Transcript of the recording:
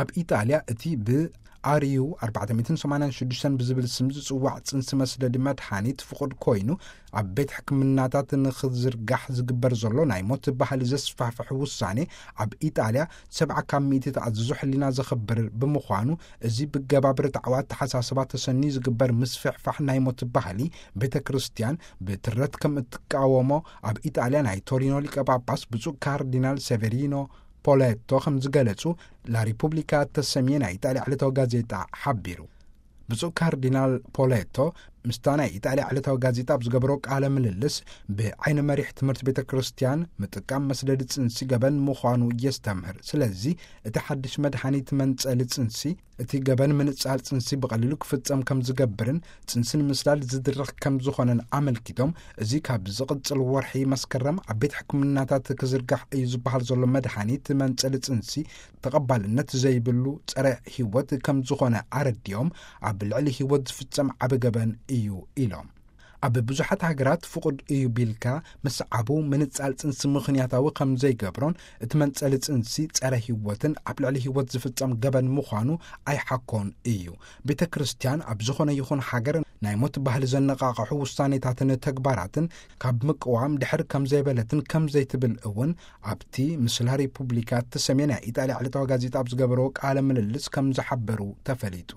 ኣብ ኢጣልያ እቲ ብ ኣርዩ ኣርባዕተ ሚእትን ሰማንያን ሽዱሽተን ብዝብል ስም ዝጽዋዕ ጽንሲ መስደዲ መድሓኒት ፍቑድ ኮይኑ፣ ኣብ ቤት ሕክምናታት ንኽዝርጋሕ ዝግበር ዘሎ ናይ ሞት ባህሊ ዘስፋሕፍሕ ውሳኔ፣ ኣብ ኢጣልያ ሰብዓ ካብ ሚእቲ ተኣዝዞ ሕሊና ዘኽብር ብምዃኑ፣ እዚ ብገባብር ጣዕዋ ኣተሓሳስባ ተሰንዩ ዝግበር ምስፍሕፋሕ ናይ ሞት ባህሊ፣ ቤተ ክርስቲያን ብትረት ከም እትቃወሞ ኣብ ኢጣልያ ናይ ቶሪኖ ሊቀ ጳጳስ ብፁዕ ካርዲናል ሴቨሪኖ ፖሌቶ ከም ዝገለጹ ላሪፑብሊካ እተሰምየ ናይ ኢጣልያ ዕለታዊ ጋዜጣ ሓቢሩ። ብፁዕ ካርዲናል ፖሌቶ ምስታ ናይ ኢጣልያ ዕለታዊ ጋዜጣ ኣብ ዝገበሮ ቃለ ምልልስ፣ ብዓይነ መሪሕ ትምህርቲ ቤተ ክርስቲያን ምጥቃም መስደዲ ጽንሲ ገበን ምዃኑ የስተምህር። ስለዚ እቲ ሓድሽ መድሓኒት መንጸሊ ጽንሲ፣ እቲ ገበን ምንጻል ጽንሲ ብቐሊሉ ክፍጸም ከም ዝገብርን ጽንሲ ንምስዳድ ዝድርኽ ከም ዝኾነን ኣመልኪቶም፣ እዚ ካብ ዝቕጽል ወርሒ መስከረም ኣብ ቤት ሕክምናታት ክዝርጋሕ እዩ ዝበሃል ዘሎ መድሓኒት መንጸሊ ጽንሲ ተቐባልነት ዘይብሉ ጸረ ህይወት ከም ዝኾነ ኣረዲኦም፣ ኣብ ልዕሊ ህይወት ዝፍጸም ዓቢ ገበን እዩ ኢሎም። ኣብ ብዙሓት ሃገራት ፍቑድ እዩ ቢልካ ምስዓቡ ምንጻል ጽንሲ ምኽንያታዊ ከም ዘይገብሮን፣ እቲ መንጸሊ ጽንሲ ጸረ ህይወትን ኣብ ልዕሊ ህይወት ዝፍጸም ገበን ምዃኑ ኣይሓኮን እዩ። ቤተ ክርስቲያን ኣብ ዝኾነ ይኹን ሃገር ናይ ሞት ባህሊ ዘነቓቕሑ ውሳኔታትን ተግባራትን ካብ ምቅዋም ድሕር ከም ዘይበለትን ከም ዘይትብል እውን ኣብቲ ምስላ ሪፑብሊካ እተሰምየ ናይ ኢጣልያ ዕለታዊ ጋዜጣ ኣብ ዝገበሮ ቃለ ምልልስ ከም ዝሓበሩ ተፈሊጡ።